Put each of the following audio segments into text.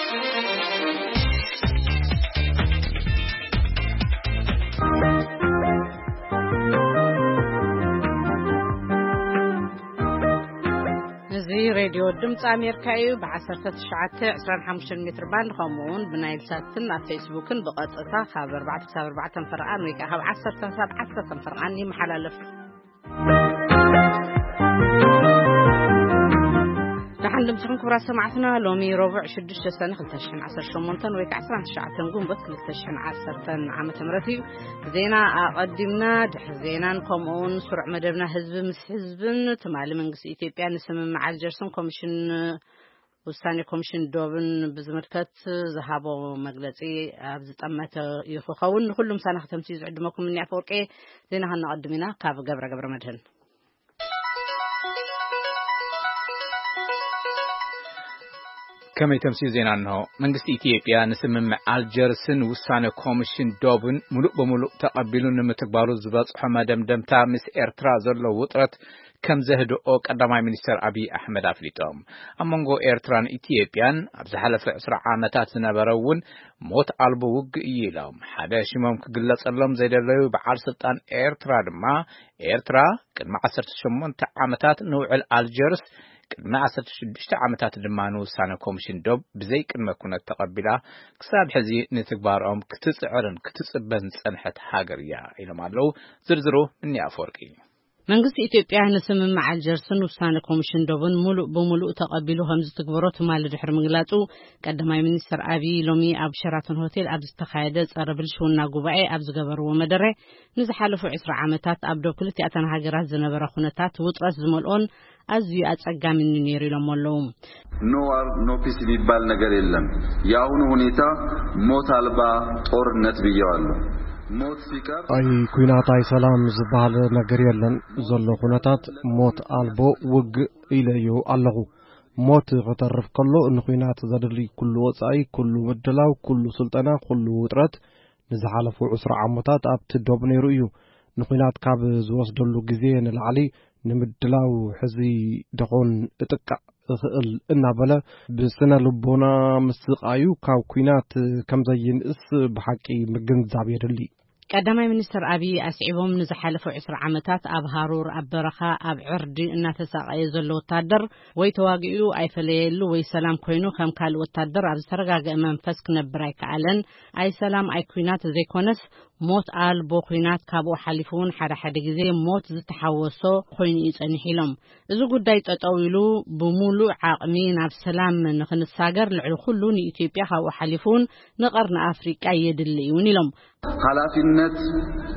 እዚ ሬድዮ ድምፂ ኣሜሪካ እዩ። ብ19፣ 25 ሜትር ባንድ፣ ከምኡ እውን ብናይል ሳትን ኣብ ፌስቡክን ብቐጥታ ካብ 4 ክሳብ 4 ፈርቓን ወይ ከዓ ካብ 10 ክሳብ 10 ፈርቓን ይመሓላለፍ። ደሓን ድምፅኹም ክቡራት ሰማዕትና። ሎሚ ረቡዕ 6 ሰነ 2018 ወይ ከዓ 19 ጉንበት 2010 ዓመተ ምህረት እዩ። ዜና ኣቐዲምና፣ ድሕሪ ዜናን ከምኡ እውን ስሩዕ መደብና ህዝቢ ምስ ህዝብን ትማሊ መንግስቲ ኢትዮጵያ ንስምምዕ ኣልጀርስን ኮሚሽን ውሳኔ ኮሚሽን ዶብን ብዝምልከት ዝሃቦ መግለጺ ኣብ ዝጠመተ እዩ ክኸውን። ንኩሉ ምሳና ከተምሲ ዝዕድመኩም እኒ ኣፈወርቄ። ዜና ከነቐድም ኢና ካብ ገብረ ገብረ መድህን። ከመይ ተምሲ ዜና እንሆ። መንግስቲ ኢትዮጵያ ንስምምዕ ኣልጀርስን ውሳነ ኮሚሽን ዶብን ሙሉእ ብሙሉእ ተቐቢሉ ንምትግባሩ ዝበጽሖ መደምደምታ ምስ ኤርትራ ዘሎ ውጥረት ከም ዘህድኦ ቀዳማይ ሚኒስትር ኣቢይ ኣሕመድ ኣፍሊጦም። ኣብ መንጎ ኤርትራን ኢትዮጵያን ኣብ ዝሓለፈ 20 ዓመታት ዝነበረ እውን ሞት ኣልቦ ውግእ እዩ ኢሎም። ሓደ ሽሞም ክግለጸሎም ዘይደለዩ በዓል ስልጣን ኤርትራ ድማ፣ ኤርትራ ቅድሚ 18 ዓመታት ንውዕል ኣልጀርስ፣ ቅድሚ 16 ዓመታት ድማ ንውሳነ ኮሚሽን ዶብ ብዘይ ቅድመ ኩነት ተቐቢላ፣ ክሳብ ሕዚ ንትግባሮም ክትጽዕርን ክትጽበን ዝጸንሐት ሃገር እያ ኢሎም ኣለዉ። ዝርዝሩ እኒ ኣፈወርቂ። መንግስቲ ኢትዮጵያ ንስምምዕ ኣልጀርስን ውሳነ ኮሚሽን ዶብን ሙሉእ ብሙሉእ ተቐቢሉ ከም ዝትግበሮ ትማሊ ድሕሪ ምግላጹ፣ ቀዳማይ ሚኒስትር ኣቢይ ሎሚ ኣብ ሸራተን ሆቴል ኣብ ዝተኻየደ ጸረ ብልሽውና ጉባኤ ኣብ ዝገበርዎ መደረ፣ ንዝሓለፉ 20 ዓመታት ኣብ ዶብ ክልቲኣተን ሃገራት ዝነበረ ኩነታት ውጥረት ዝመልኦን ኣዝዩ ኣጸጋሚን ነይሩ ኢሎም ኣለዉ። No war, no peace የሚባል ነገር የለም። የአሁኑ ሁኔታ ሞት አልባ ጦርነት ብየዋለሁ። ሞት ሲቀር ኣይ ኩናት ኣይ ሰላም ዝበሃል ነገር የለን። ዘሎ ኩነታት ሞት ኣልቦ ውግእ ኢለዮ ኣለኹ። ሞት ክተርፍ ከሎ ንኩናት ዘድሊ ኩሉ ወጻኢ፣ ኩሉ ምድላው፣ ኩሉ ስልጠና፣ ኩሉ ውጥረት ንዝሓለፉ 20 ዓመታት ኣብቲ ዶብ ነይሩ እዩ። ንኩናት ካብ ዝወስደሉ ግዜ ንላዕሊ ንምድላው ሕዚ ደኾን እጥቃዕ እኽእል እናበለ ብስነ ልቦና ምስቓዩ ካብ ኩናት ከም ዘይንእስ ብሓቂ ምግንዛብ የድሊ። ቀዳማይ ሚኒስትር ኣቢይ ኣስዒቦም፣ ንዝሓለፉ 20 ዓመታት ኣብ ሃሩር፣ ኣብ በረኻ፣ ኣብ ዕርዲ እናተሳቐየ ዘሎ ወታደር ወይ ተዋጊኡ ኣይፈለየሉ ወይ ሰላም ኮይኑ ከም ካልእ ወታደር ኣብ ዝተረጋገአ መንፈስ ክነብር ኣይከኣለን። ኣይ ሰላም ኣይ ኩናት ዘይኮነስ ሞት ኣልቦ ኩናት ካብኡ ሓሊፉ እውን ሓደ ሓደ ግዜ ሞት ዝተሓወሶ ኮይኑ እዩ ጸኒሑ ኢሎም። እዚ ጉዳይ ጠጠው ኢሉ ብሙሉእ ዓቕሚ ናብ ሰላም ንክንሳገር ልዕሊ ኩሉ ንኢትዮጵያ ካብኡ ሓሊፉ እውን ንቀርኒ ኣፍሪቃ የድሊ እውን ኢሎም። ኃላፊነት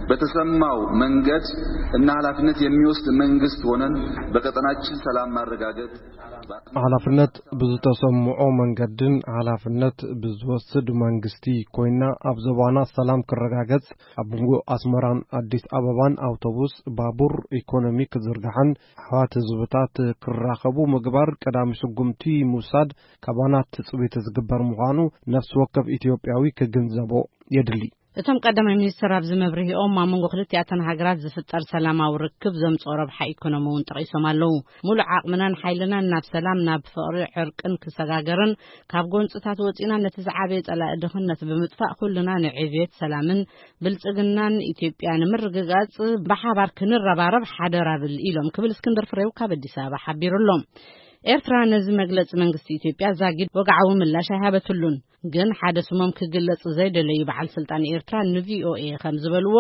በተሰማው መንገድ እና ኃላፊነት የሚወስድ መንግስት ሆነን በቀጠናችን ሰላም ማረጋገጥ ሓላፍነት ብዝተሰምዖ መንገድን ሓላፍነት ብዝወስድ መንግስቲ ኮይና ኣብ ዞባና ሰላም ክረጋገጽ፣ ኣብ መንጎ ኣስመራን ኣዲስ ኣበባን ኣውቶቡስ፣ ባቡር፣ ኢኮኖሚ ክዝርጋሕን ኣሕዋት ህዝብታት ክራኸቡ ምግባር ቀዳሚ ስጉምቲ ምውሳድ ካባና ትጽቢት ዝግበር ምዃኑ ነፍሲ ወከፍ ኢትዮጵያዊ ክግንዘቦ የድሊ። እቶም ቀዳማይ ሚኒስትር ኣብዚ መብርሂኦም ኣብ መንጎ ክልቲኣተን ሃገራት ዝፍጠር ሰላማዊ ርክብ ዘምጽኦ ረብሓ ኢኮኖሚ እውን ጠቒሶም ኣለዉ። ሙሉእ ዓቕምናን ሓይልናን ናብ ሰላም፣ ናብ ፍቕሪ፣ ዕርቅን ክሰጋገርን ካብ ጎንጽታት ወጺና ነቲ ዝዓበየ ጸላኢ ድኽነት ብምጥፋእ ኩልና ንዕብየት ሰላምን ብልጽግናን ኢትዮጵያ ንምርግጋጽ ብሓባር ክንረባረብ ሓደራ ብል ኢሎም ክብል እስክንድር ፍሬው ካብ ኣዲስ ኣበባ ሓቢሩ ኣሎ። ኤርትራ ነዚ መግለጺ መንግስቲ ኢትዮጵያ ዛጊድ ወግዓዊ ምላሽ ኣይሃበትሉን። ግን ሓደ ስሞም ክግለጽ ዘይደለዩ በዓል ስልጣን ኤርትራ ንቪኦኤ ከም ዝበልዎ፣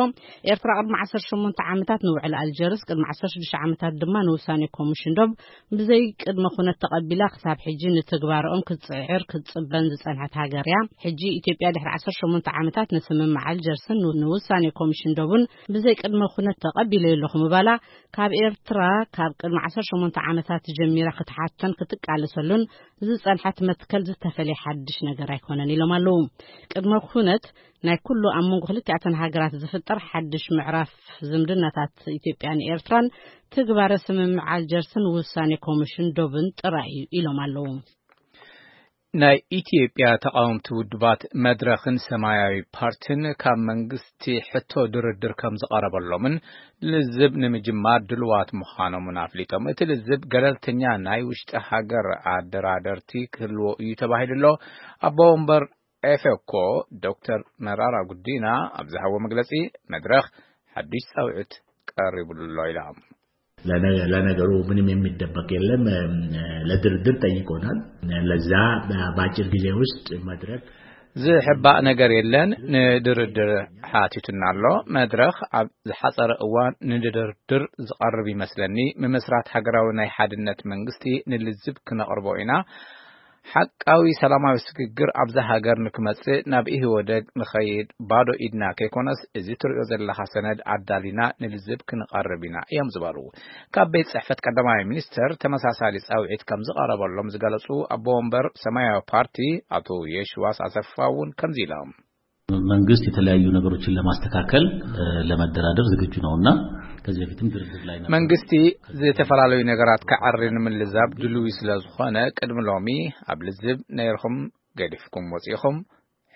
ኤርትራ ቅድሚ 18 ዓመታት ንውዕል ኣልጀርስ፣ ቅድሚ 16 ዓመታት ድማ ንውሳኔ ኮሚሽን ዶብ ብዘይ ቅድመ ኩነት ተቐቢላ ክሳብ ሕጂ ንትግባርኦም ክትጽዕር ክትጽበን ዝጸንሐት ሃገር እያ። ሕጂ ኢትዮጵያ ድሕሪ 18 ዓመታት ንስምምዕ ኣልጀርስን ንውሳኔ ኮሚሽን ዶብን ብዘይ ቅድመ ኩነት ተቐቢለ ኣለኹ ምባላ ካብ ኤርትራ ካብ ቅድሚ 18 ዓመታት ጀሚራ ክትሓተን ክትቃለሰሉን ዝጸንሐት መትከል ዝተፈልየ ሓድሽ ነገር ኣይኮነን ኢሎም ኣለዉ። ቅድመ ኩነት ናይ ኩሉ ኣብ መንጎ ክልቲኣተን ሃገራት ዝፍጠር ሓድሽ ምዕራፍ ዝምድናታት ኢትዮጵያን ኤርትራን ትግባረ ስምምዕ ኣልጀርስን ውሳኔ ኮሚሽን ዶብን ጥራይ እዩ ኢሎም ኣለዉ። ናይ ኢትዮጵያ ተቓወምቲ ውድባት መድረኽን ሰማያዊ ፓርቲን ካብ መንግስቲ ሕቶ ድርድር ከም ዝቐረበሎምን ልዝብ ንምጅማር ድልዋት ምዃኖምን ኣፍሊጦም። እቲ ልዝብ ገለልተኛ ናይ ውሽጢ ሃገር ኣደራደርቲ ክህልዎ እዩ ተባሂሉ ኣሎ። ኣቦ ወንበር ኤፌኮ ዶክተር መራራ ጉዲና ኣብ ዝሃቦ መግለጺ፣ መድረኽ ሓድሽ ጻውዒት ቀሪቡሉ ኣሎ ኢሎም። ለነ-፣ ለነገሩ ምንም የሚደበቅ የለም። ለድርድር ጠይቆናል። ለዛ በአጭር ጊዜ ውስጥ መድረክ ዝሕባእ ነገር የለን። ንድርድር ሓቲቱና ኣሎ። መድረኽ ኣብ ዝሓጸረ እዋን ንድርድር ዝቐርብ ይመስለኒ። ምምስራት ሃገራዊ ናይ ሓድነት መንግስቲ ንልዝብ ክነቕርቦ ኢና። ሓቃዊ ሰላማዊ ስግግር ኣብዛ ሃገር ንክመጽእ ናብ ኢህወደግ ንኸይድ ባዶ ኢድና ከይኮነስ፣ እዚ ትሪኦ ዘለኻ ሰነድ ኣዳሊና ንልዝብ ክንቐርብ ኢና እዮም ዝበሉ። ካብ ቤት ጽሕፈት ቀዳማይ ሚኒስተር ተመሳሳሊ ጻውዒት ከም ዝቐረበሎም ዝገለጹ ኣቦ ወንበር ሰማያዊ ፓርቲ ኣቶ የሽዋስ ኣሰፋ እውን ከምዚ ኢሎም። መንግስት የተለያዩ ነገሮችን ለማስተካከል፣ እ፣ ለመደራደር ዝግጁ ነውና ከዚህ በፊትም ድርድር ላይ ነበር። መንግስቲ ዝተፈላለዩ ነገራት ክዓሪ ንምልዛብ ድልዊ ስለ ዝኾነ፣ ቅድሚ ሎሚ ኣብ ልዝብ ነይርኹም ገዲፍኩም ወጺኹም፣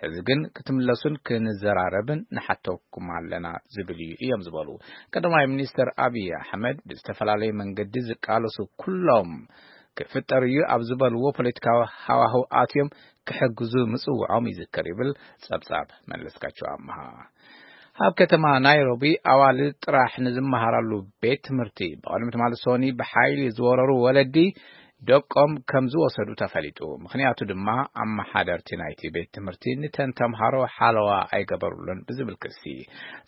ሕዚ ግን ክትምለሱን ክንዘራረብን ንሓተኩም ኣለና ዝብል እዩ እዮም ዝበሉ። ቀዳማይ ሚኒስትር ኣብይ ኣሕመድ ብዝተፈላለየ መንገዲ ዝቃለሱ ኩሎም ክፍጠር እዩ ኣብ ዝበልዎ ፖለቲካዊ ሃዋህው ኣትዮም ክሕግዙ ምጽውዖም ይዝከር ይብል ጸብጻብ መለስካቸው ኣምሃ። ኣብ ከተማ ናይሮቢ ኣዋልድ ጥራሕ ንዝመሃራሉ ቤት ትምህርቲ ብቕድሚ ትማሊ ሶኒ ብሓይሊ ዝወረሩ ወለዲ ደቆም ከም ዝወሰዱ ተፈሊጡ። ምኽንያቱ ድማ ኣመሓደርቲ ናይቲ ቤት ትምህርቲ ንተን ተምሃሮ ሓለዋ ኣይገበሩሉን ብዝብል ክሲ።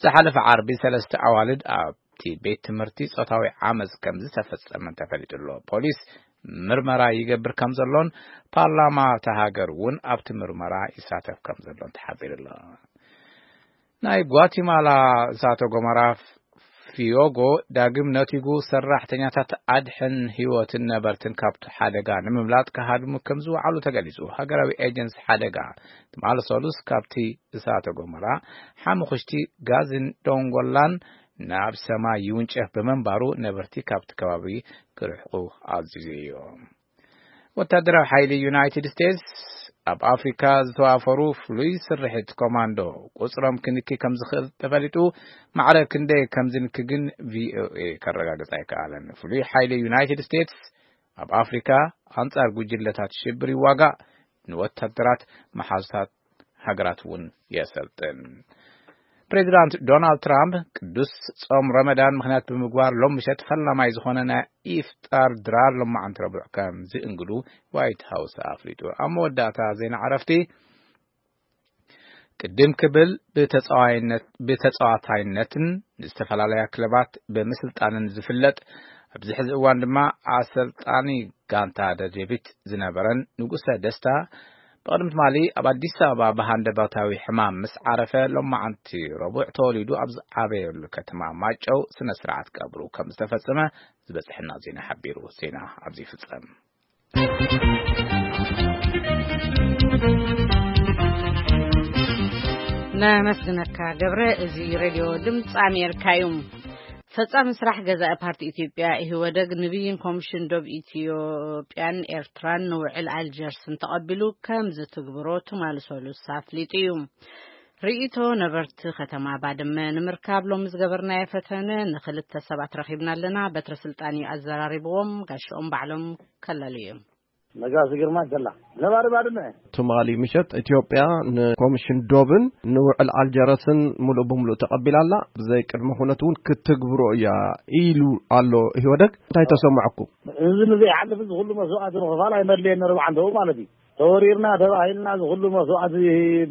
ዝሓለፈ ዓርቢ ሰለስተ ኣዋልድ ኣብቲ ቤት ትምህርቲ ጾታዊ ዓመጽ ከም ዝተፈጸመን ተፈሊጡ ኣሎ። ፖሊስ ምርመራ ይገብር ከም ዘሎን ፓርላማ እታ ሃገር እውን ኣብቲ ምርመራ ይሳተፍ ከም ዘሎን ተሓቢሩ ኣሎ። ናይ ጓቲማላ እሳተ ጎመራ ፊዮጎ ዳግም ነቲጉ ሰራሕተኛታት ኣድሕን ህይወትን ነበርትን ካብቲ ሓደጋ ንምምላጥ ክሃድሙ ከም ዝወዓሉ ተገሊጹ። ሃገራዊ ኤጀንሲ ሓደጋ ትማሊ ሰሉስ ካብቲ እሳተ ጎመራ ሓሙኽሽቲ ጋዝን ዶንጎላን ናብ ሰማይ ይውንጨፍ ብምንባሩ ነበርቲ ካብቲ ከባቢ ክርሕቁ ኣዚዙ እዩ። ወታደራዊ ሓይሊ ዩናይትድ ስቴትስ ኣብ ኣፍሪካ ዝተዋፈሩ ፍሉይ ስርሒት ኮማንዶ ቁፅሮም ክንኪ ከም ዝኽእል ተፈሊጡ። ማዕረ ክንደይ ከም ዝንኪ ግን ቪኦኤ ከረጋግፅ ኣይከኣለን። ፍሉይ ሓይሊ ዩናይትድ ስቴትስ ኣብ ኣፍሪካ ኣንጻር ጉጅለታት ሽብር ይዋጋእ፣ ንወታደራት መሓዙታት ሃገራት እውን የሰልጥን። ፕሬዚዳንት ዶናልድ ትራምፕ ቅዱስ ጾም ረመዳን ምኽንያት ብምግባር ሎም ምሸት ፈላማይ ዝኾነ ናይ ኢፍጣር ድራር ሎማዓንቲ ረቡዕ ከም ዝእንግዱ ዋይት ሃውስ ኣፍሊጡ። ኣብ መወዳእታ ዜና ዕረፍቲ ቅድም ክብል ብተጻዋይነት-፣ ብተጻዋታይነትን ንዝተፈላለያ ክለባት ብምስልጣንን ዝፍለጥ ኣብዚ ሕዚ እዋን ድማ ኣሰልጣኒ ጋንታ ደደቢት ዝነበረን ንጉሰ ደስታ ብቕድሚ ትማሊ ኣብ ኣዲስ ኣበባ ብሃንደበታዊ ሕማም ምስ ዓረፈ፣ ሎማዓንቲ ረቡዕ ተወሊዱ ኣብ ዝዓበየሉ ከተማ ማጨው ስነ ስርዓት ቀብሩ ከም ዝተፈጸመ ዝበጽሐና ዜና ሓቢሩ። ዜና ኣብዚ ይፍጸም። ነመስግነካ ገብረ። እዚ ሬድዮ ድምፂ ኣሜሪካ እዩ። ፈጻሚ ስራሕ ገዛኢ ፓርቲ ኢትዮጵያ ኢህወደግ ንብይን ኮሚሽን ዶብ ኢትዮጵያን ኤርትራን ንውዕል ኣልጀርስን ተቐቢሉ ከም ዝትግብሮ ትማሊ ሰሉስ ኣፍሊጡ እዩ። ርእይቶ ነበርቲ ከተማ ባድመ ንምርካብ ሎሚ ዝገበርናዮ ፈተነ ንኽልተ ሰባት ረኺብና ኣለና። በትረ ስልጣን እዩ ኣዘራሪብዎም፣ ጋሽኦም ባዕሎም ከለሉ እዮም። ነጋሲ ግርማ ይከላ ነባሪ ባድመ። ትማሊ ምሸት ኢትዮጵያ ንኮሚሽን ዶብን ንውዕል ኣልጀረስን ሙሉእ ብሙሉእ ተቐቢላ ኣላ። ብዘይ ቅድመ ኩነት እውን ክትግብሮ እያ ኢሉ ኣሎ ኢህወደግ። እንታይ ተሰማዕኩም? እዚ ንዘይሓልፍ እዚ ኩሉ መስዋእቲ ምኽፋል ኣይመድለየን ነሩ ብዓንተኡ ማለት እዩ። ተወሪርና ተባሂልና እዚ ኩሉ መስዋእቲ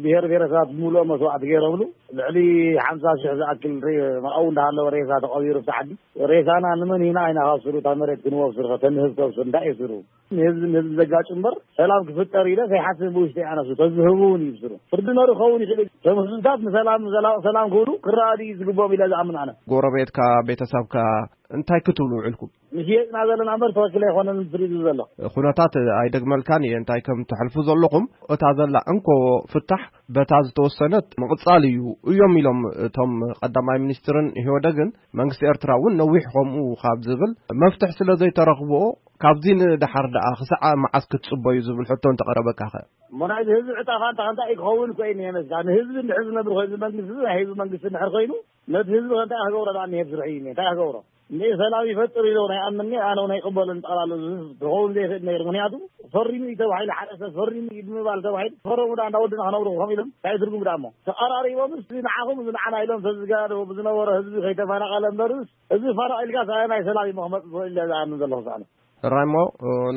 ብሄር ብሄረሰባት ብምሉኦ መስዋእቲ ገይረብሉ ልዕሊ ሓምሳ ሽሕ ዝኣክል ሬ-፣ ኣብኡ እንዳሃለወ ሬሳ ተቐቢሩ ኣብቲ ዓዲ። ሬሳና ንመን ኢና ኢና ካብ ስሩ እታ መሬት ክንወብ ስሩ ከተንህብ ከብሱ እንታይ እዩ ስሩ? ንህዝቢ ንህዝቢ ዘጋጭ እምበር ሰላም ክፍጠር ኢለ ከይሓስብ ብውሽጢ ኣነሱ ተዝህቡ እውን እዩ ስሩ። ፍርዲ ነሩ ክኸውን ይኽእል እዩ። እቶም ህዝብታት ንሰላም ዘላቕ ሰላም ክብሉ ክረኣዱ እዩ ዝግብኦም ኢለ ዝኣምን ኣነ። ጎረቤትካ፣ ቤተሰብካ፣ እንታይ ክትብሉ ውዕልኩም? ንሽየጥና ዘለና እምበር ትኽክል ኣይኮነን ዝብል ዘሎ። ኩነታት ኣይደግመልካን እየ እንታይ ከም ትሕልፉ ዘለኹም። እታ ዘላ እንኮ ፍታሕ በታ ዝተወሰነት ምቕጻል እዩ እዮም ኢሎም እቶም ቀዳማይ ሚኒስትርን ኢህወደግን። መንግስቲ ኤርትራ እውን ነዊሕ ከምኡ ካብ ዝብል መፍትሕ ስለ ዘይተረኽብኦ ካብዚ ንደሓር ደኣ ክሳዕ መዓስ ክትጽበዩ ዝብል ሕቶ እንተቐረበካኸ? እሞ ናይዚ ህዝቢ ዕጣ ፋንታ ከንታይ ክኸውን ኮይኑ እየ መስላ። ንህዝቢ እንድሕር ዝነብር ኮይኑ መንግስቲ ናይ ህዝቢ መንግስቲ እንድሕር ኮይኑ ነቲ ህዝቢ ከንታይ ክገብሮ ደኣ እኒሄ ስርሑ እዩ እንታይ ክገብሮ? እንደ ሰላም ይፈጥር ኢሎ ናይ ኣምኒ ኣነ ናይ ቅበሎ እንጠቕላሉ ዝኸውን ዘይኽእል ነገር ምክንያቱ ፈሪሙ እዩ ተባሂሉ ሓደ ሰብ ፈሪሙ እዩ ብምባል ተባሂሉ ፈረሙ ዳ እንዳወድና ክነብሩ ከም ኢሎም እንታይ ትርጉም ዳ እሞ ተቐራሪቦምስ ንዓኹም ንዓና ኢሎም ተዝጋዶ ብዝነበረ ህዝቢ ከይተፈናቐለ እምበርስ እዚ ፈረቕ ኢልካ ናይ ሰላም እዩ መኽመፅ ዝኽእል ኢለ ዝኣምን ዘለኹ ሳዕነ። ራይሞ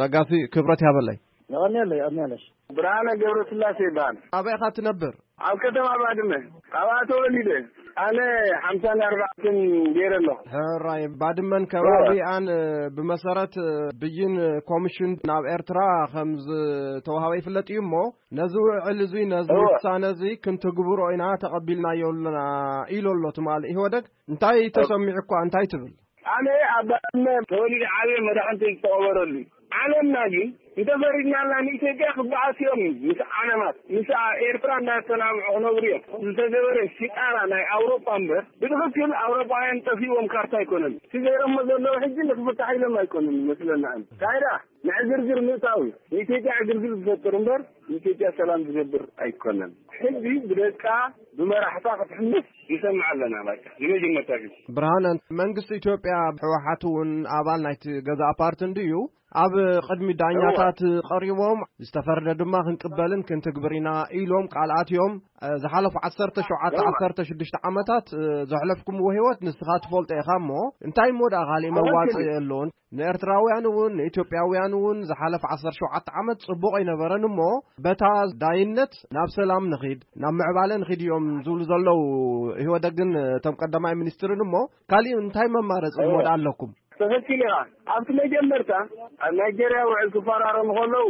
ነጋሲ ክብረት ያበላይ። የቐንየለይ የቐንየለሽ። ብርሃነ ገብረስላሴ ይበሃል። ኣበይ ኢኻ ትነብር? ኣብ ከተማ ባድመ። ኣብኣ ተወሊደ። ኣነ ሓምሳን ኣርባዕተን ገይረ ኣለኹ። ሕራይ ባድመን ከባቢኣን ብመሰረት ብይን ኮሚሽን ናብ ኤርትራ ከም ዝተዋሃበ ይፍለጥ እዩ እሞ ነዚ ውዕል እዚ ነዚ እወ። ውሳነ እዚ ክንትግብሮ ኢና ተቐቢልናዮ ኣለና ኢሉ ኣሎ ትማሊ ኢህወደግ። እንታይ ተሰሚዑ እኳ እንታይ ትብል? ኣነ ኣብ ባድመ ተወሊደ ዓብየ መድሓኒተይ ዝተቐበረሉ እዩ። ዓለምና ግን እንተፈሪድናልና ንኢትዮጵያ ክበኣሱ እዮም ምስ ዓለማት ምስ ኤርትራ እንዳተናምዑ ክነብሩ እዮም። ዝተገበረ ሽጣራ ናይ ኣውሮጳ እምበር ብትኽክል ኣውሮጳውያን ጠፊዎም ካርታ ኣይኮነን። እቲ ገይሮሞ ዘለዉ ሕጂ ንክፍታሕ ኢሎም ኣይኮነን ይመስለና። እንታይ ደኣ ንዕግርግር ምእታው እዩ። ንኢትዮጵያ ዕግርግር ዝፈጥር እምበር ንኢትዮጵያ ሰላም ዝገብር ኣይኮነን። ሕጂ ብደቃ ብመራሕታ ክትሕምስ ንሰምዕ ኣለና። ባጭ ንመጀመርታ ግዜ ብርሃነ መንግስቲ ኢትዮጵያ ህወሓት እውን ኣባል ናይቲ ገዛእ ፓርቲ እንድዩ ኣብ ቅድሚ ዳኛታት ቀሪቦም ዝተፈረደ ድማ ክንቅበልን ክንትግብር ኢና ኢሎም ቃል ኣትዮም። ዝሓለፉ ዓሰርተ ሸውዓተ ዓሰርተ ሽዱሽተ ዓመታት ዘሕለፍኩምዎ ህይወት ንስኻ ትፈልጦ ኢኻ እሞ እንታይ እሞ ደኣ ካሊእ መዋፅእ የለዎን? ንኤርትራውያን እውን ንኢትዮጵያውያን እውን ዝሓለፈ ዓሰርተ ሸውዓተ ዓመት ጽቡቕ ኣይነበረን እሞ በታ ዳይነት ናብ ሰላም ንኺድ ናብ ምዕባለ ንኺድ እዮም ዝብሉ ዘለዉ። ኢህወደግን እቶም ቀዳማይ ሚኒስትርን እሞ ካሊእ እንታይ መማረፂ እሞ ኣለኩም? ትኽክል ኢኻ። ኣብቲ መጀመርታ ኣብ ናይጀርያ ውዕል ክፈራረሙ ከለዉ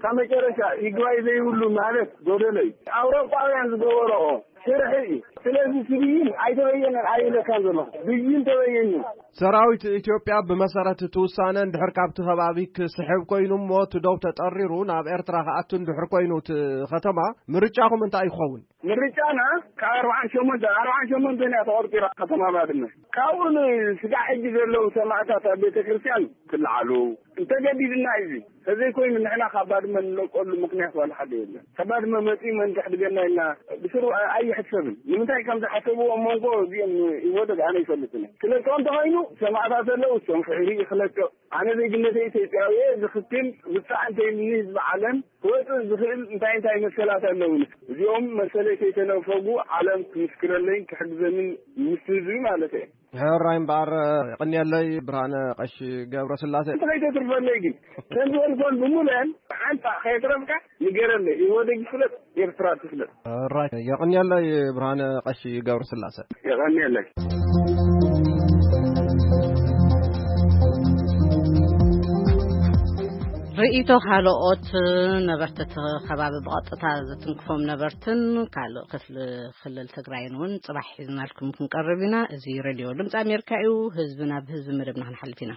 ካብ መጨረሻ ይግባይ ዘይብሉ ማለት ጎደሎ እዩ። ኣውሮጳውያን ዝገበረኦ ስርሒ እዩ። ስለዚ እቲ ብይን ኣይተበየነን ኣይብለካን ዘለኹ። ብይን ተበየን እዩ። ሰራዊት ኢትዮጵያ ብመሰረት እቲ ውሳነ እንድሕር ካብቲ ከባቢ ክስሕብ ኮይኑ እሞ እቲ ዶብ ተጠሪሩ ናብ ኤርትራ ክኣቱ እንድሕር ኮይኑ እቲ ከተማ ምርጫኹም እንታይ ይኸውን? ምርጫና ካብ ኣርባዓን ሸሞንተን ኣርባዓን ሸሞንተን እያ ተቖርጢራ ከተማ ባድመ። ካብኡ ንስጋዕ ሕጂ ዘለዉ ሰማእታት ኣብ ቤተ ክርስቲያን ክለዓሉ እንተገዲድና እዩ። ተዘይኮይኑ ንሕና ካብ ባድመ ንለቀሉ ምክንያት ዋላ ሓደ የለን። ካብ ባድመ መፂኡ መን ከሕድገና ኢልና ብስሩ ኣይሕሰብን። ንምንታይ ከም ዝሓሰብዎ ኣብ መንጎ እዚኦም ይወደድ ኣነ ይፈልጥን። ክለቀው እንተኮይኑ ሰማእታት ኣለዉ እሶም ክሕሪ ክለቀቕ ኣነ ዜግነተ ኢትዮጵያዊ እየ ዝኽክል ውፃእ እንተይልኒ ህዝቢ ዓለም ክወፅእ ዝኽእል እንታይ እንታይ መሰላት ኣለውኒ እዚኦም መሰለይ ከይተነፈጉ ዓለም ክምስክረለይ ክሕግዘንን ምስ ህዝቢ ማለት እየ። ሕራይ እምበኣር የቐንየለይ ብርሃነ ቀሺ ገብረ ስላሴ። እንተ ከይተትርፈለይ ግን ከም ዝበልኮን ብምሉአን ሓንፃ ከየትረፍካ ንገረለይ። ኢህወደግ ይፍለጥ ኤርትራ ትፍለጥ። ሕራይ የቐንየለይ ብርሃነ ቀሺ ገብረ ስላሴ። የቐንየለይ። ርእይቶ ካልኦት ነበርቲ እቲ ከባቢ ብቐጥታ ዝትንክፎም ነበርትን ካልእ ክፍሊ ክልል ትግራይን እውን ጽባሕ ሒዝናልኩም ክንቀርብ ኢና። እዚ ሬድዮ ድምፂ ኣሜሪካ እዩ። ህዝቢ ናብ ህዝቢ መደብና ክንሓልፍ ኢና።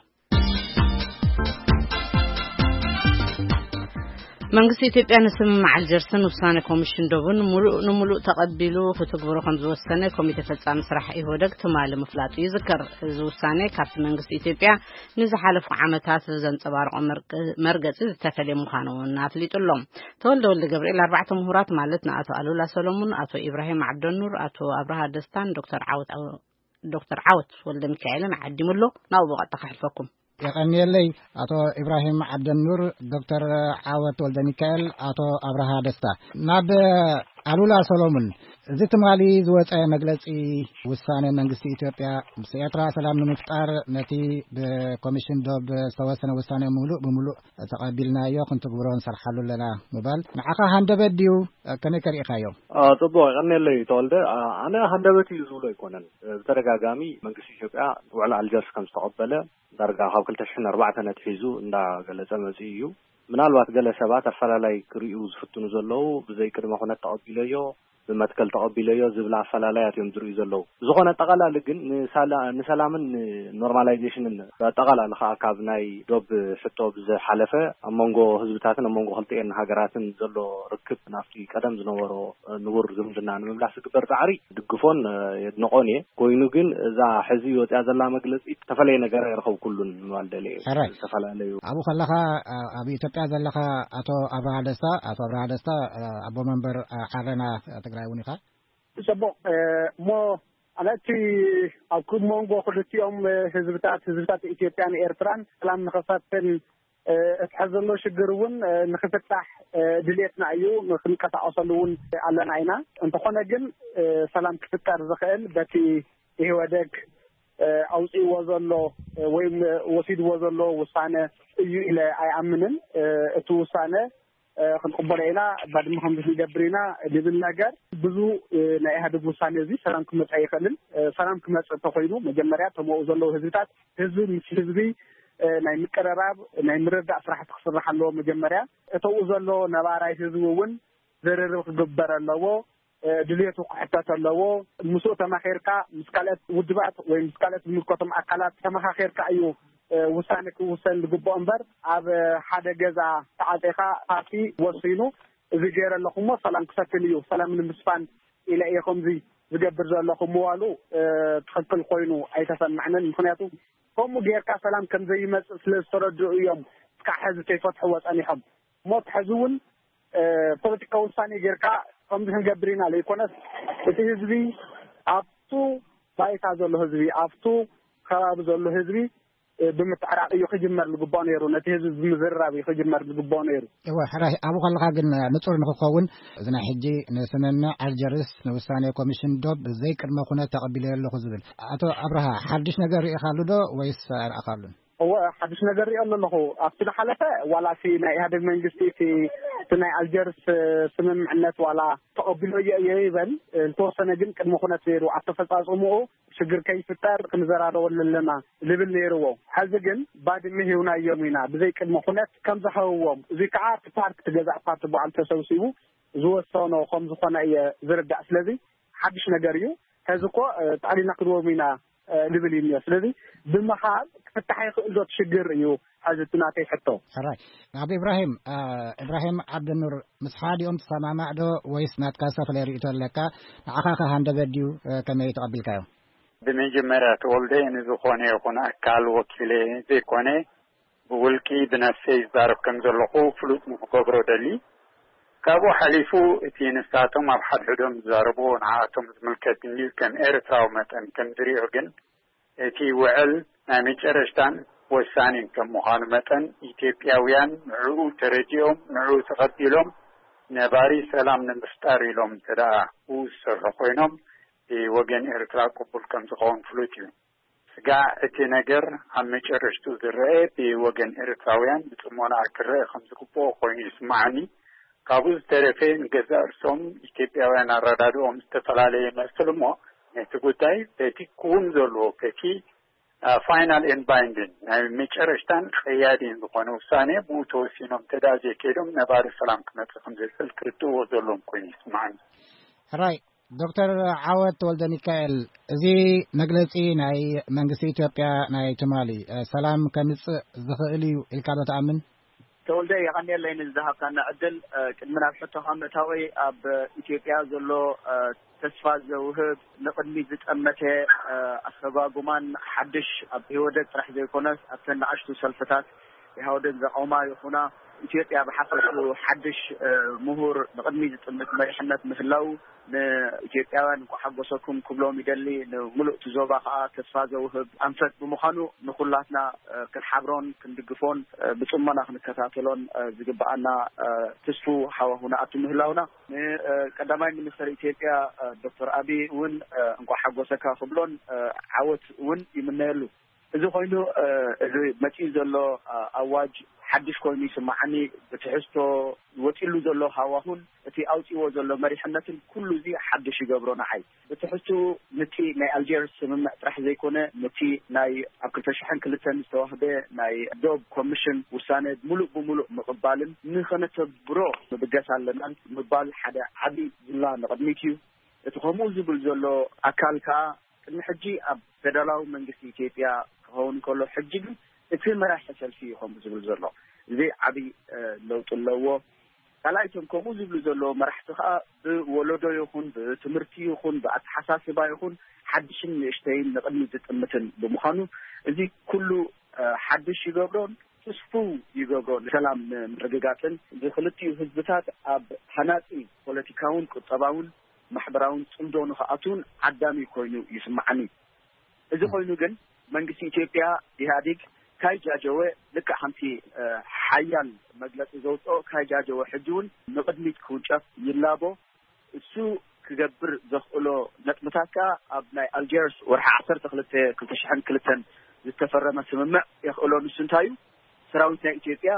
መንግስቲ ኢትዮጵያ ንስምምዕ ኣልጀርስን ውሳነ ኮሚሽን ዶብን ሙሉእ ንሙሉእ ተቐቢሉ ክትግብሮ ከም ዝወሰነ ኮሚቴ ፈጻሚ ስራሕ ኢህወደግ ትማሊ ምፍላጡ ይዝከር። እዚ ውሳነ ካብቲ መንግስቲ ኢትዮጵያ ንዝሓለፉ ዓመታት ዘንጸባረቖ መርገ-፣ መርገጺ ዝተፈልየ ምዃኑ እውን ኣፍሊጡ ኣሎ። ተወልደ ወልደ ገብርኤል ኣርባዕተ ምሁራት ማለት ንኣቶ ኣሉላ ሰሎሙን፣ ኣቶ ኢብራሂም ዓብደኑር፣ ኣቶ ኣብርሃ ደስታን ዶክተር ዓወት፣ ዶክተር ዓወት ወልደ ሚካኤልን ዓዲሙ ኣሎ። ናብኡ ብቐጥታ ከሕልፈኩም። የቐንየለይ ኣቶ ኢብራሂም ዓብደኑር፣ ዶክተር ዓወት ወልደ ሚካኤል፣ ኣቶ ኣብርሃ ደስታ። ናብ ኣሉላ ሰሎሙን፣ እዚ ትማሊ ዝወጸ መግለጺ ውሳነ መንግስቲ ኢትዮጵያ ምስ ኤርትራ ሰላም ንምፍጣር ነቲ ብኮሚሽን ዶብ ዝተወሰነ ውሳነ ሙሉእ ብሙሉእ ተቐቢልናዮ፣ ክንትግብሮ ንሰርሓሉ ኣለና ምባል ንዓኻ ሃንደበት ድዩ? ከመይ ከሪእኻዮ? አ፣ ጽቡቕ፣ የቐንየለይ ተወልደ። አ፣ ኣነ ሃንደበት እዩ ዝብሎ ኣይኮነን። ብተደጋጋሚ መንግስቲ ኢትዮጵያ ውዕል ኣልጀርስ ከም ዝተቐበለ ዳርጋ ካብ ክልተ ሽሕን ኣርባዕተን ኣትሒዙ እንዳገለጸ መጺኡ እዩ። ምናልባት ገለ ሰባት ኣፈላላይ ክርእዩ ዝፍትኑ ዘለዉ፣ ብዘይ ቅድመ ኩነት ተቐቢለዮ፣ ብመትከል ተቐቢለዮ ዝብል ኣፈላላያት እዮም ዝርእዩ ዘለዉ። ዝኾነ ኣጠቓላሊ ግን ንሳላ- ንሰላምን ኖርማላይዜሽንን ኣጠቓላሊ ከዓ ካብ ናይ ዶብ ሕቶ ብዝሓለፈ ኣብ መንጎ ህዝብታትን ኣብ መንጎ ክልቲኤን ሃገራትን ዘሎ ርክብ ናብቲ ቀደም ዝነበሮ ንቡር ዝምድና ንምምላስ ዝግበር ፃዕሪ ድግፎን የድንቆን እየ። ኮይኑ ግን እዛ ሕዚ ወፅያ ዘላ መግለፂ ዝተፈለየ ነገር ኣይረኸብኩሉን ምባል ደልየ እየ። ሕራይ። ዝተፈላለዩ ኣብኡ ከለኻ ኣብ ኢትዮጵያ ዘለኻ ኣቶ ኣብርሃ ደስታ ኣቶ ኣብርሃ ደስታ ኣቦ መንበር ዓረና ትግራይ እውን ኢኻ። ጽቡቕ። እሞ ኣነቲ ኣብ ክብ መንጎ ክልቲኦም ህዝብታት ህዝብታት ኢትዮጵያን ኤርትራን ሰላም ንኸሰፍን እትሐዘሎ ሽግር እውን ንክፍታሕ ድልየትና እዩ። ክንቀሳቀሰሉ እውን ኣለና ኢና። እንተኾነ ግን ሰላም ክፍጠር ዝኽእል በቲ ኢህወደግ ኣውፅእዎ ዘሎ ወይም ወሲድዎ ዘሎ ውሳነ እዩ ኢለ ኣይኣምንን። እቲ ውሳነ ክንቅበሎ ኢና፣ ባድመ ከምዚ ክንገብር ኢና ዝብል ነገር ብዙ ናይ ኢህኣዴግ ውሳነ እዚ ሰላም ክመፅእ ኣይኽእልን። ሰላም ክመፅእ እንተኮይኑ መጀመርያ ተመኡ ዘለዉ ህዝብታት ህዝቢ ምስ ህዝቢ ናይ ምቅረራብ ናይ ምርዳእ ስራሕቲ ክስራሕ ኣለዎ። መጀመርያ እተኡ ዘሎ ነባራይ ህዝቢ እውን ዝርርብ ክግበር ኣለዎ። ድልየቱ ክሕተት ኣለዎ። ምስኡ ተማኺርካ ምስ ካልኦት ውድባት ወይ ምስ ካልኦት ዝምልከቶም ኣካላት ተመኻኺርካ እዩ ውሳነ ክውሰን ዝግብኦ እምበር ኣብ ሓደ ገዛ ተዓፂኻ ፓርቲ ወሲኑ እዚ ገይረ ኣለኹ እሞ ሰላም ክሰፍን እዩ ሰላም ንምስፋን ኢለ እየ ከምዚ ዝገብር ዘለኹ ምባሉ ትኽክል ኮይኑ ኣይተሰማዕንን። ምክንያቱ ከምኡ ጌርካ ሰላም ከም ዘይመፅእ ስለ ዝተረድኡ እዮም እስካዕ ሕዚ ከይፈትሕዎ ፀኒሖም። እሞ እቲ ሕዚ እውን ፖለቲካዊ ውሳኔ ጌርካ ከምዚ ክንገብር ኢና ዘይኮነስ እቲ ህዝቢ ኣብቱ ባይታ ዘሎ ህዝቢ ኣብቱ ከባቢ ዘሎ ህዝቢ ብምትዕራቕ እዩ ክጅመር ዝግባኦ ነይሩ። ነቲ ህዝቢ ብምዝርራብ እዩ ክጅመር ዝግባኦ ነይሩ። እወ ሕራይ ኣብኡ ከለኻ ግን ንፁር ንክኸውን እዚ ናይ ሕጂ ንስምምዕ ኣልጀርስ ንውሳኔ ኮሚሽን ዶብ ዘይቅድመ ኩነት ተቐቢለ ኣለኹ ዝብል ኣቶ ኣብርሃ ሓድሽ ነገር ርኢኻሉ ዶ ወይስ ኣይረኣኻሉን? እወ ሓድሽ ነገር ሪኦ ኣለኹ። ኣብቲ ዝሓለፈ ዋላ እቲ ናይ ኢህኣዴግ መንግስቲ እቲ እቲ ናይ ኣልጀርስ ስምምዕነት ዋላ ተቐቢሎ እየ እየ ይበል። ዝተወሰነ ግን ቅድመ ኩነት ነይሩ ኣተፈፃፅምኡ ሽግር ከይፍጠር ክንዘራረበሉ ኣለና ዝብል ነይርዎ። ሕዚ ግን ባድመ ሂብናዮም ኢና ብዘይ ቅድመ ኩነት ከም ዝሃብዎም እዙይ ከዓ እቲ ፓርክ እቲ ገዛእ ፓርቲ በዓል ተሰብሲቡ ዝወሰኖ ከም ዝኾነ እየ ዝርዳእ። ስለዚ ሓድሽ ነገር እዩ። ሕዚ እኮ ጠቕሊልና ክንዎም ኢና ዝብል እዩ እኒኦ። ስለዚ ብምሃብ ክፍታሕ ይኽእል ዶ እቲ ሽግር እዩ ሕዚ እቲ ናተይ ሕቶ። ሕራይ ኣብ ኢብራሂም ኢብራሂም ዓብደኑር ምስ ሓዲኦም ትሰማማዕ ዶ ወይስ ናትካ ዝተፈላለየ ርእይቶ ኣለካ? ንዓኻ ከ ሃንደበት ድዩ ከመይ ተቐቢልካዮ? ብመጀመርያ ተወልደ ንዝኾነ ይኹን ኣካል ወኪለ ዘይኮነ ብውልቂ ብነፍሰይ ዝዛረብ ከም ዘለኹ ፍሉጥ ንክገብሮ ደሊ። ካብኡ ሓሊፉ እቲ ንሳቶም ኣብ ሓድሕዶም ዝዛረብዎ ንዓኣቶም ዝምልከት እንድዩ ከም ኤርትራዊ መጠን ከም ዝሪኦ ግን እቲ ውዕል ናይ መጨረሽታን ወሳኒን ከም ምዃኑ መጠን ኢትዮጵያውያን ንዕኡ ተረዲኦም ንዕኡ ተቐቢሎም ነባሪ ሰላም ንምፍጣር ኢሎም እንተ ደኣ ብኡ ዝሰርሑ ኮይኖም ብወገን ኤርትራ ቅቡል ከም ዝኸውን ፍሉጥ እዩ። ስጋዕ እቲ ነገር ኣብ መጨረሽትኡ ዝረኣ ብወገን ኤርትራውያን ብጽሞና ክረኣ ከም ዝግብኦ ኮይኑ ይስምዓኒ። ካብኡ ዝተረፈ ንገዛእ ርእሶም ኢትዮጵያውያን ኣረዳድኦም ዝተፈላለየ ይመስል እሞ ነቲ ጉዳይ በቲ ክውን ዘለዎ በቲ ፋይናል ኤንድ ባይንዲን ናይ መጨረሽታን ቀያዲን ዝኾነ ውሳኔ ብኡ ተወሲኖም እንተ ደኣ ዘይከይዶም ነባሪ ሰላም ክመጽእ ከም ዘይክእል ክርድእዎ ዘለዎም ኮይኑ ይስምዓኒ። ሕራይ ዶክተር ዓወት ተወልደሚካኤል፣ እዚ መግለጺ ናይ መንግስቲ ኢትዮጵያ ናይ ትማሊ ሰላም ከምጽእ ዝኽእል እዩ ኢልካ ዶ ትኣምን? ተወልደ፣ የቐንየለይ ንዝሃብካና ዕድል። ቅድሚ ናብ ሕቶኻ ምእታወይ፣ ኣብ ኢትዮጵያ ዘሎ ተስፋ ዘውህብ፣ ንቕድሚት ዝጠመተ ኣሰጓጉማን ሓድሽ ኣብ ኢህወደግ ጥራሕ ዘይኮነስ ኣብተን ንኣሽቱ ሰልፍታት ኢህወደግ ዘቐውማ ይኹና፣ ኢትዮጵያ ብሓፈሽኡ ሓድሽ ምሁር ንቕድሚት ዝጥምት መሪሕነት ምህላው ንኢትዮጵያውያን እንኳዕ ሓጎሰኩም ክብሎም ይደሊ። ንምሉእ እቲ ዞባ ከዓ ተስፋ ዘውህብ ኣንፈት ብምዃኑ ንኩላትና ክንሓብሮን ክንድግፎን ብፅሞና ክንከታተሎን ዝግበኣና ትስፉው ሃዋሁ ንኣቱ ምህላውና ንቀዳማይ ሚኒስተር ኢትዮጵያ ዶክተር ኣብይ እውን እንኳዕ ሓጎሰካ ክብሎን ዓወት እውን ይምነየሉ። እዚ ኮይኑ እዚ መፂኡ ዘሎ ኣዋጅ ሓድሽ ኮይኑ ይስማዓኒ። ብትሕዝቶ ወፂሉ ዘሎ ሃዋሁን እቲ ኣውፅዎ ዘሎ መሪሕነትን ኩሉ እዚ ሓድሽ ይገብሮ ንዓይ። ብትሕዝቱ ንቲ ናይ ኣልጀርስ ስምምዕ ጥራሕ ዘይኮነ ንቲ ናይ ኣብ ክልተ ሽሕን ክልተን ዝተዋህበ ናይ ዶብ ኮሚሽን ውሳነ ሙሉእ ብሙሉእ ምቕባልን ንኸነተግብሮ ምብገስ ኣለናን ምባል ሓደ ዓብዪ ዝላ ንቕድሚት እዩ። እቲ ከምኡ ዝብል ዘሎ ኣካል ከዓ ቅድሚ ሕጂ ኣብ ፌደራላዊ መንግስቲ ኢትዮጵያ ክኸውን ከሎ ሕጂ ግን እቲ መራሒ ሰልፊ እዩ ከምኡ ዝብል ዘሎ። እዚ ዓብዪ ለውጢ ኣለዎ። ካልኣይ እቶም ከምኡ ዝብሉ ዘለዉ መራሕቲ ከዓ ብወለዶ ይኹን ብትምህርቲ ይኹን ብኣተሓሳስባ ይኹን ሓድሽን ንእሽተይን ንቕድሚ ዝጥምትን ብምዃኑ እዚ ኩሉ ሓድሽ ይገብሮን ትስፉው ይገብሮን ሰላም ንምርግጋፅን እዚ ክልቲኡ ህዝብታት ኣብ ሃናፂ ፖለቲካውን ቁጠባውን ማሕበራውን ፅምዶ ንክኣትውን ዓዳሚ ኮይኑ ይስማዓኒ። እዚ ኮይኑ ግን መንግስቲ ኢትዮጵያ ኢህኣዴግ ካይጃጀወ ልክዕ ከምቲ ሓያል መግለፂ ዘውፅኦ ካይጃጀወ ሕጂ እውን ንቕድሚት ክውንጨፍ ይላቦ። እሱ ክገብር ዘኽእሎ ነጥብታት ከዓ ኣብ ናይ ኣልጀርስ ወርሒ ዓሰርተ ክልተ ክልተ ሽሕን ክልተን ዝተፈረመ ስምምዕ የኽእሎ። ንሱ እንታይ እዩ? ሰራዊት ናይ ኢትዮጵያ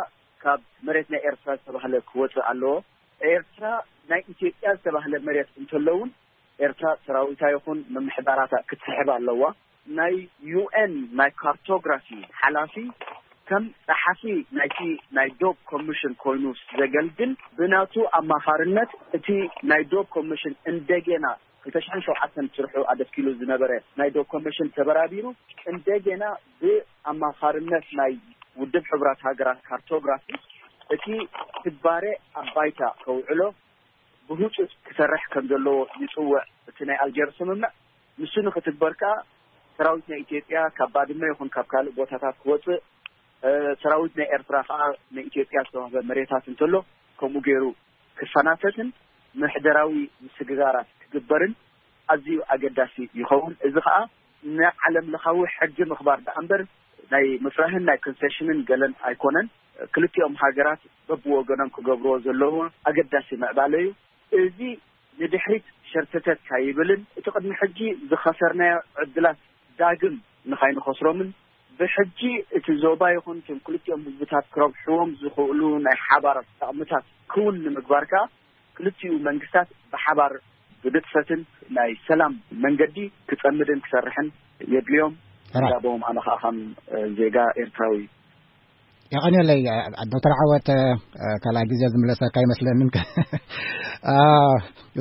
ካብ መሬት ናይ ኤርትራ ዝተባህለ ክወፅእ ኣለዎ። ኤርትራ ናይ ኢትዮጵያ ዝተባህለ መሬት እንተሎ እውን ኤርትራ ሰራዊታ ይኹን ምምሕዳራታ ክትስሕብ ኣለዋ። ናይ ዩ ኤን ናይ ካርቶግራፊ ሓላፊ ከም ጸሓፊ ናይቲ ናይ ዶብ ኮሚሽን ኮይኑ ዘገልግል ብናቱ ኣማኻርነት እቲ ናይ ዶብ ኮሚሽን እንደገና ክልተ ሽሕን ሸውዓተን ስርሑ ኣደስኪሉ ዝነበረ ናይ ዶብ ኮሚሽን ተበራቢሩ እንደገና ብኣማኻርነት ናይ ውድብ ሕቡራት ሃገራት ካርቶግራፊ እቲ ትግባረ ኣብ ባይታ ከውዕሎ ብህፁፅ ክሰርሕ ከም ዘለዎ ይፅውዕ። እቲ ናይ ኣልጀርስ ስምምዕ ንሱ ንክትግበር ከዓ ሰራዊት ናይ ኢትዮጵያ ካብ ባድመ ይኹን ካብ ካልእ ቦታታት ክወፅእ፣ ሰራዊት ናይ ኤርትራ ከዓ ንኢትዮጵያ ዝተዋህበ መሬታት እንተሎ ከምኡ ገይሩ ክፈናተትን ምሕደራዊ ምስግጋራት ክግበርን ኣዝዩ ኣገዳሲ ይኸውን። እዚ ከዓ ንዓለም ለኻዊ ሕጊ ምኽባር ደኣ እምበር ናይ ምፍራህን ናይ ኮንሴሽንን ገለን ኣይኮነን። ክልቲኦም ሃገራት በብወገኖም ክገብርዎ ዘለዎ ኣገዳሲ ምዕባለ እዩ። እዚ ንድሕሪት ሸርተተት ካይብልን እቲ ቅድሚ ሕጂ ዝኸሰርናዮ ዕድላት ዳግም ንኻይንኸስሮምን ብሕጂ እቲ ዞባ ይኹን እቶም ክልቲኦም ህዝብታት ክረብሕዎም ዝኽእሉ ናይ ሓባር ጠቕምታት ክውን ንምግባር ከዓ ክልቲኡ መንግስታት ብሓባር ብንጥፈትን ናይ ሰላም መንገዲ ክጸምድን ክሰርሕን የድልዮም። ራይ። እንዳቦም ኣነ ከዓ ከም ዜጋ ኤርትራዊ የቐንየለይ። ዶክተር ዓወት፣ ካልኣይ ግዜ ዝምለሰካ ይመስለንን።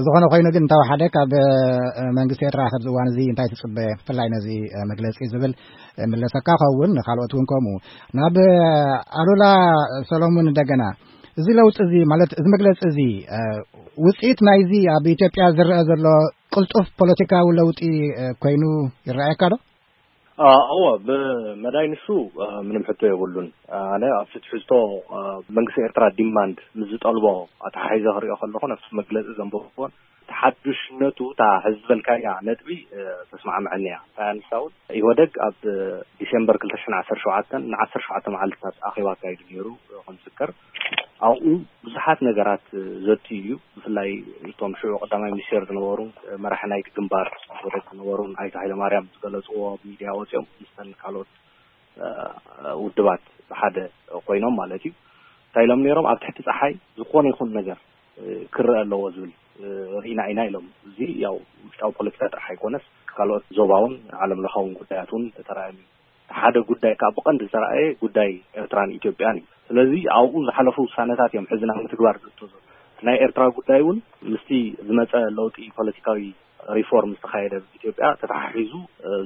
ዝኾነ ኮይኑ ግን እንታወሓደ ካብ መንግስቲ ኤርትራ ኣብዚ እዋን እዚ እንታይ ትፅበ ብፍላይ ነዚ መግለፂ ዝብል ምለሰካ ከውን ንካልኦት እውን ከምኡ ናብ ኣሉላ ሰሎሙን እንደገና እዚ ለውጢ እዚ ማለት እዚ መግለፂ እዚ ውፅኢት ናይዚ ኣብ ኢትዮጵያ ዝረአ ዘሎ ቅልጡፍ ፖለቲካዊ ለውጢ ኮይኑ ይረኣየካ ዶ? እዎ፣ ብመዳይ ንሱ ምንም ሕቶ የብሉን። ኣነ ኣብቲ ትሕዝቶ መንግስቲ ኤርትራ ዲማንድ ምስ ዝጠልቦ ኣተሓሒዘ ክሪኦ ከለኹ ነብቲ መግለፂ ዘንበብኩዎን እቲ ሓዱሽነቱ እታ ሕዚ ዝበልካያ ነጥቢ ተስማዕምዐኒ እያ። እንታይ ኣንሳ እውን ኢህወደግ ኣብ ዲሴምበር ክልተ ሽሕን ዓሰርተ ሸውዓተን ንዓሰርተ ሸውዓተ መዓልትታት ኣኼባ ኣካይዱ ነይሩ። ከም ዝዝከር ኣብኡ ብዙሓት ነገራት ዘትዩ እዩ። ብፍላይ እቶም ሽዑ ቀዳማይ ሚኒስቴር ዝነበሩ መራሒ ናይቲ ግንባር ኢህወደግ ዝነበሩ ኣይተ ሃይለማርያም ዝገለፅዎ ኣብ ሚድያ ወፂኦም ምስተን ካልኦት ውድባት ብሓደ ኮይኖም ማለት እዩ እንታይ ኢሎም ነይሮም? ኣብ ትሕቲ ፀሓይ ዝኾነ ይኹን ነገር ክረአ ኣለዎ ዝብል ርኢና ኢና ኢሎም። እዚ ያው ውሽጣዊ ፖለቲካ ጥራሕ ኣይኮነስ ካልኦት ዞባውን ዓለም ለኻውን ጉዳያት እውን ተራእዮም እዩ። ሓደ ጉዳይ ከዓ ብቐንዲ ዝተራእየ ጉዳይ ኤርትራን ኢትዮጵያን እዩ። ስለዚ ኣብኡ ዝሓለፉ ውሳነታት እዮም ሕዚ ናብ ምትግባር ዝእቶ ዘሎ። ናይ ኤርትራ ጉዳይ እውን ምስቲ ዝመፀ ለውጢ ፖለቲካዊ ሪፎርም ዝተኻየደ ኢትዮጵያ ተተሓሒዙ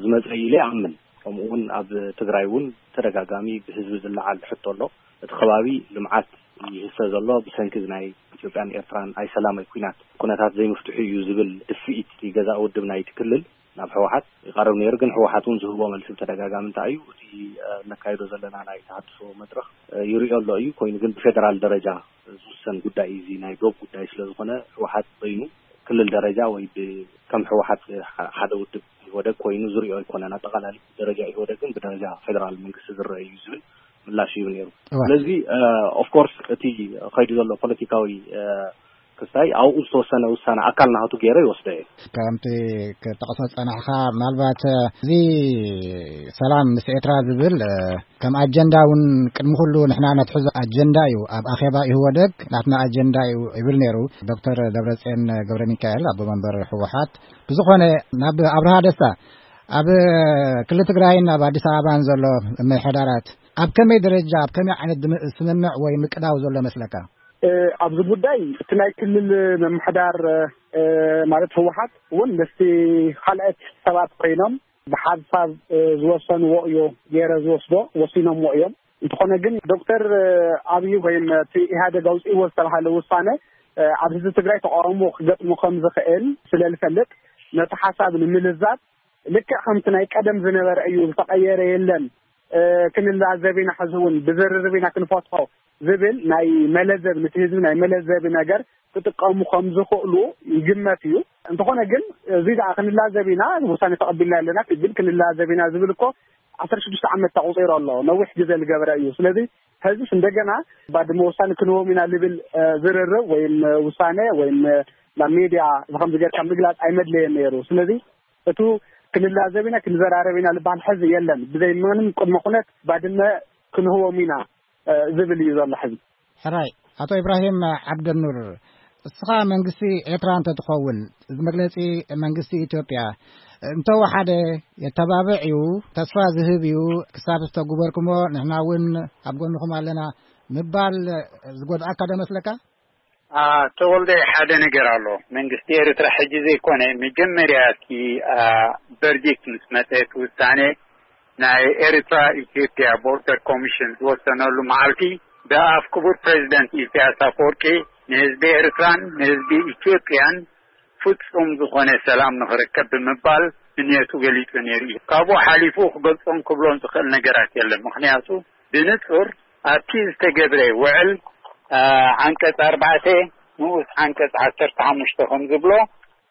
ዝመፀ ኢለ ይኣምን። ከምኡ እውን ኣብ ትግራይ እውን ተደጋጋሚ ብህዝቢ ዝለዓል ሕቶ ኣሎ። እቲ ከባቢ ልምዓት ይህሰ ዘሎ ብሰንኪ ናይ ኢትዮጵያን ኤርትራን ኣይሰላማይ ኩናት ኩነታት ዘይምፍትሑ እዩ ዝብል ድፍኢት ገዛእ ውድብ ናይቲ ክልል ናብ ህወሓት ይቐርብ ነይሩ። ግን ህወሓት እውን ዝህቦ መልሲ ብተደጋጋሚ እንታይ እዩ እቲ እነካይዶ ዘለና ናይ ተሃድሶ መድረኽ ይሪኦ ኣሎ እዩ። ኮይኑ ግን ብፌደራል ደረጃ ዝውሰን ጉዳይ እዩ። እዚ ናይ ዶብ ጉዳይ ስለ ዝኾነ ህወሓት በይኑ ክልል ደረጃ ወይ ከም ህወሓት ሓደ ውድብ ኢህወደግ ኮይኑ ዝሪኦ ኣይኮነን። ኣጠቓላሊ ደረጃ ኢህወደግን ብደረጃ ፌደራል መንግስቲ ዝረአ እዩ ዝብል ምላሽ ይህብ ነይሩ። ስለዚ ኦፍኮርስ እቲ ከይዱ ዘሎ ፖለቲካዊ ክሳይ ኣብኡ ዝተወሰነ ውሳነ ኣካል ናቱ ገይረ ይወስዶ እየ። ከምቲ ክትጠቕሶ ዝጸናሕካ፣ ምናልባት እዚ ሰላም ምስ ኤርትራ ዝብል ከም ኣጀንዳ እውን ቅድሚ ኩሉ ንሕና ነትሕዞ ኣጀንዳ እዩ። ኣብ ኣኼባ ኢህወደግ ናትና ኣጀንዳ እዩ ይብል ነይሩ ዶክተር ደብረጽዮን ገብረ ሚካኤል፣ ኣቦ መንበር ህወሓት። ብዝኾነ፣ ናብ ኣብርሃ ደስታ፣ ኣብ ክልል ትግራይን ኣብ ኣዲስ ኣበባን ዘሎ ምምሕዳራት ኣብ ከመይ ደረጃ፣ ኣብ ከመይ ዓይነት ድም-፣ ስምምዕ ወይ ምቅዳው ዘሎ መስለካ? እ፣ ኣብዚ ጉዳይ እቲ ናይ ክልል ምምሕዳር፣ እ፣ ማለት ህወሓት እውን ምስቲ ካልኦት ሰባት ኮይኖም ብሓንሳብ፣ እ፣ ዝወሰንዎ እዩ፣ ገይረ ዝወስዶ ወሲኖምዎ እዮም። እንተኾነ ግን ዶክተር፣ እ፣ ኣብይ ወይም እቲ ኢህኣደግ ኣውፅእዎ ዝተባሃለ ውሳነ፣ እ፣ ኣብ ህዝቢ ትግራይ ተቃውሞ ክገጥሞ ከም ዝኽእል ስለ ዝፈልጥ፣ ነቲ ሓሳብ ንምልዛብ ልክዕ ከምቲ ናይ ቀደም ዝነበረ እዩ፣ ዝተቐየረ የለን፣ እ፣ ክንላዘብ ኢና፣ ሕዚ እውን ብዝርርብ ኢና ክንፈትሖ ዝብል ናይ መለዘብ፣ ነቲ ህዝቢ ናይ መለዘቢ ነገር ክጥቀሙ ከም ዝኽእሉ ይግመት እዩ። እንተኾነ ግን፣ እዚ ደኣ ክንላዘብ ኢና፣ ውሳኔ ተቐቢልና ኣለና፣ ግን ክንላዘብ ኢና ዝብል እኮ ዓሰርተ ሽዱሽተ ዓመት ተቑጺሩ ኣሎ። ነዊሕ ግዜ ዝገበረ እዩ። ስለዚ፣ ሕዚስ እንደገና ባድመ ውሳኔ ክንህቦም ኢና ዝብል፣ እ፣ ዝርርብ ወይም፣ እ፣ ውሳኔ ወይም፣ እ፣ ናብ ሜድያ ብኸምዚ ጌርካ ምግላጽ ኣይመድለየን ነይሩ። ስለዚ፣ እቱ ክንላዘብ ኢና፣ ክንዘራረብ ኢና ዝበሃል ሕዚ የለን። ብዘይ ምንም ቅድመ ኩነት ባድመ ክንህቦም ኢና፣ እ፣ ዝብል እዩ ዘሎ ሕዚ። ሕራይ፣ ኣቶ ኢብራሂም ዓብደኑር፣ እስኻ መንግስቲ ኤርትራ እንተትኸውን፣ እዚ መግለጺ መንግስቲ ኢትዮጵያ እንተወሓደ የተባብዕ እዩ፣ ተስፋ ዝህብ እዩ፣ ክሳብ ዝተግበርኩሞ ንሕና እውን ኣብ ጎንኹም ኣለና ምባል ዝጎድኣካ ዶ መስለካ? አ፣ ተወልደ፣ ሓደ ነገር ኣሎ። መንግስቲ ኤርትራ ሕጂ ዘይኮነ፣ መጀመርያ እቲ፣ አ፣ ቨርዲክት ምስ መጸ፣ እቲ ውሳኔ ናይ ኤርትራ ኢትዮጵያ ቦርደር ኮሚሽን ዝወሰነሉ መዓልቲ፣ ብኣፍ ክቡር ፕሬዚደንት ኢሳያስ ኣፈወርቂ ንህዝቢ ኤርትራን ንህዝቢ ኢትዮጵያን ፍጹም ዝኾነ ሰላም ንኽርከብ ብምባል ንየቱ ገሊጹ ነይሩ እዩ። ካብኡ ሓሊፉ ክገልጾን ክብሎን ዝኽእል ነገራት የለን። ምኽንያቱ ብንጹር ኣብቲ ዝተገብረ ውዕል፣ አ፣ ዓንቀጽ ኣርባዕተ ንኡስ ዓንቀጽ ዓሰርተ ሓሙሽተ ከም ዝብሎ፣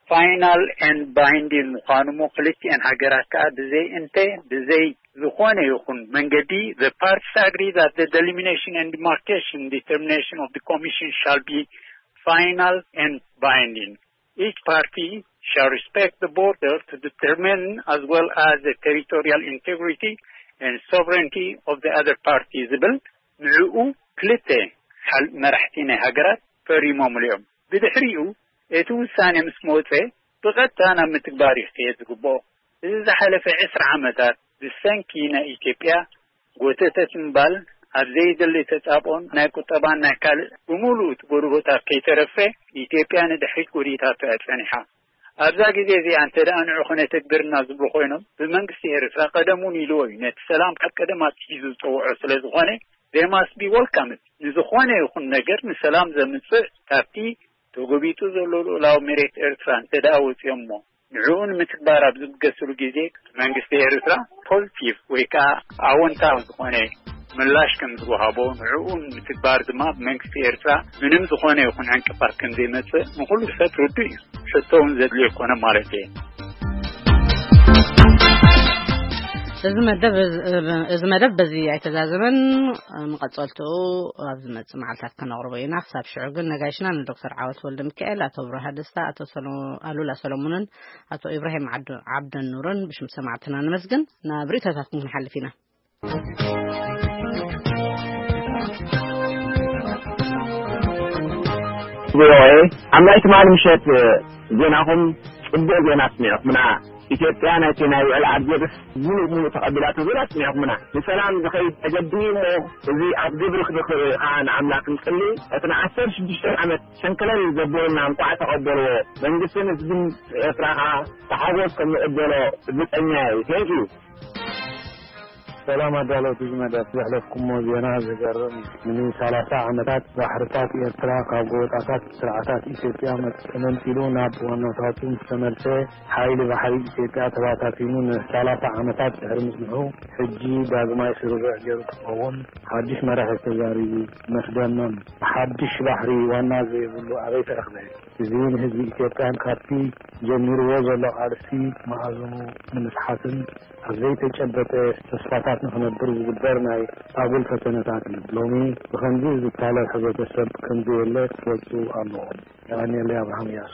ፋይናል ኤንድ ባይንዲንግ ምዃኑ እሞ ክልቲኤን ሃገራት ከኣ ብዘይ እንተ፣ ብዘይ ዝኾነ ይኹን መንገዲ፣ the parties agree that the delimitation and demarcation determination of the commission shall be final and binding. Each party shall respect the border to determine as well as the territorial integrity and sovereignty of the other party ዝብል ንዕኡ ክልተ ሓል-፣ መራሕቲ ናይ ሃገራት ፈሪሞምሉ እዮም። ብድሕሪኡ እቲ ውሳኔ ምስ መወጸ ብቐጥታ ናብ ምትግባር እዩ ክኸየድ ዝግብኦ። እዚ ዝሓለፈ ዕስራ ዓመታት ብሰንኪ ናይ ኢትዮጵያ ጎተተት ምባል ኣብ ዘይደሊ ተጻብኦን ናይ ቁጠባን ናይ ካልእ ብምሉእ እቲ ጎረቦታት ከይተረፈ ኢትዮጵያ ንድሕሪት ጎዲታቶ እያ ጸኒሓ። ኣብዛ ግዜ እዚኣ እንተ ደኣ ንዑ ክነተግብርና ዝብሉ ኮይኖም፣ ብመንግስቲ ኤርትራ ቀደም እውን ኢልዎ እዩ። ነቲ ሰላም ካብ ቀደም ኣትሒዙ ዝጸውዖ ስለ ዝኾነ፣ they must be welcomed። ንዝኾነ ይኹን ነገር ንሰላም ዘምጽእ ካብቲ ተጎቢጡ ዘሎ ልኡላዊ መሬት ኤርትራ እንተ ደኣ ወጺኦም እሞ፣ ንዕኡ ንምትግባር ኣብ ዝብገስሉ ግዜ፣ መንግስቲ ኤርትራ ፖዚቲቭ ወይ ከኣ ኣወንታዊ ዝኾነ ምላሽ ከም ዝወሃቦ፣ ንዕኡ ንምትግባር ድማ ብመንግስቲ ኤርትራ ምንም ዝኾነ ይኹን ዕንቅፋት ከም ዘይመጽእ ንኹሉ ሰብ ርዱእ እዩ። ሕቶ እውን ዘድልዮ ኣይኮነን ማለት እየ። እዚ መደብ፣ እዚ መደብ በዚ ኣይተዛዘመን። መቐጸልትኡ ኣብ ዝመጽእ መዓልታት ከነቕርቦ ኢና። ክሳብ ሽዑ ግን ነጋይሽና ንዶክተር ዓወት ወልደ ሚካኤል፣ ኣቶ ብርሃ ደስታ፣ ኣቶ ሰሎ-፣ ኣሉላ ሰሎሞንን ኣቶ ኢብራሂም ዓብዱ-፣ ዓብደን ኑርን ብሽም ሰማዕትና ነመስግን። ናብ ርእይቶታትኩም ክንሓልፍ ኢና። ቪኦኤ፣ ሓምላይ ትማሊ ምሸት ዜናኹም ጽቡቕ ዜና ኣስሚዕኹምና። ኢትዮጵያ ናይቲ ናይ ውዕል ኣልጀርስ ሙሉእ ሙሉእ ተቐቢላቶ ዜና ኣስሚዕኹምና። ንሰላም ዝኸይድ መገዲ እሞ፣ እዚ ኣብ ግብሪ ክድኽር ከዓ ንኣምላኽ ንጽሊ። እቲ ንዓሰርተ ሽዱሽተ ዓመት ሸንከለል ዘበሉና እንቋዕ ተቐበልዎ። መንግስትን ህዝብን ኤርትራ ከዓ ብሓጎስ ከም ንቕበሎ ርግጸኛ እየ። Thank you። ሰላም ኣዳለውቲ እዚ መደብ፣ ዘሕለፍኩሞ ዜና ዝገርም እዩ። ንሰላሳ ዓመታት ባሕርታት ኤርትራ ካብ ጎበጣታት ስርዓታት ኢትዮጵያ መ-፣ ተመንጢሉ ናብ ዋናታቱ ምስ ተመልሰ፣ ሓይሊ ባሕሪ ኢትዮጵያ ተባታቲኑ ንሰላሳ ዓመታት ድሕሪ ምጽንሑ፣ ሕጂ ዳግማይ ስርርዕ ገይሩ ክኸውን ሓድሽ መራሒ ተዛሪቡ። መስደመም። ሓድሽ ባሕሪ ዋና ዘይብሉ ኣበይ ተረኽበ? እዚ ንህዝቢ ኢትዮጵያን ካብቲ ጀሚርዎ ዘሎ ቃልሲ መኣዝኑ ንምስሓትን ኣብ ዘይተጨበጠ ተስፋታት ንኽነብር ዝግበር ናይ ኣጉል ፈተነታት እዩ። ሎሚ ብኸምዚ ዝታለል ሕብረተሰብ ከም ዘየለ ክፈልጡ ኣለዎም። የቐንየለይ። ኣብርሃም እያሱ።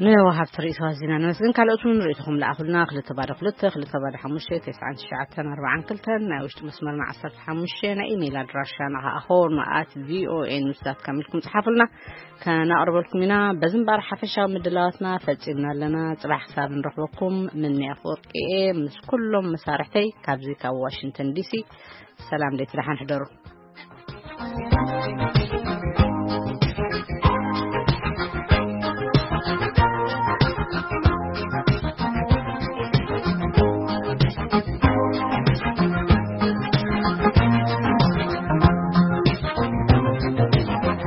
ንወሃብቲ ርእይቶ ኣዚና ነመስግን። ካልኦት እውን ርእይቶኹም ለኣኹልና። ክልተ ባዶ ክልተ፣ ክልተ ባዶ ሓሙሽተ፣ ተስዓን ትሽዓተን ኣርባዓን ክልተን፣ ናይ ውሽጢ መስመርና ዓሰርተ ሓሙሽተ፣ ናይ ኢሜይል ኣድራሻና ከዓ ሆርን ኣት ቪኦኤ ኒውስ ዳት ካም ኢልኩም ጽሓፉልና፣ ከነቕርበልኩም ኢና። በዚ እምበኣር ሓፈሻዊ ምድላዋትና ፈጺምና ኣለና። ጽባሕ ክሳብ ንረኽበኩም ምንያ ኣፈወርቂ እየ ምስ ኩሎም መሳርሕተይ ካብዚ ካብ ዋሽንግተን ዲሲ። ሰላም፣ ደይቲ ደሓን ሕደሩ።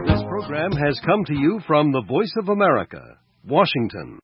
This program has come to you from the Voice of America, Washington.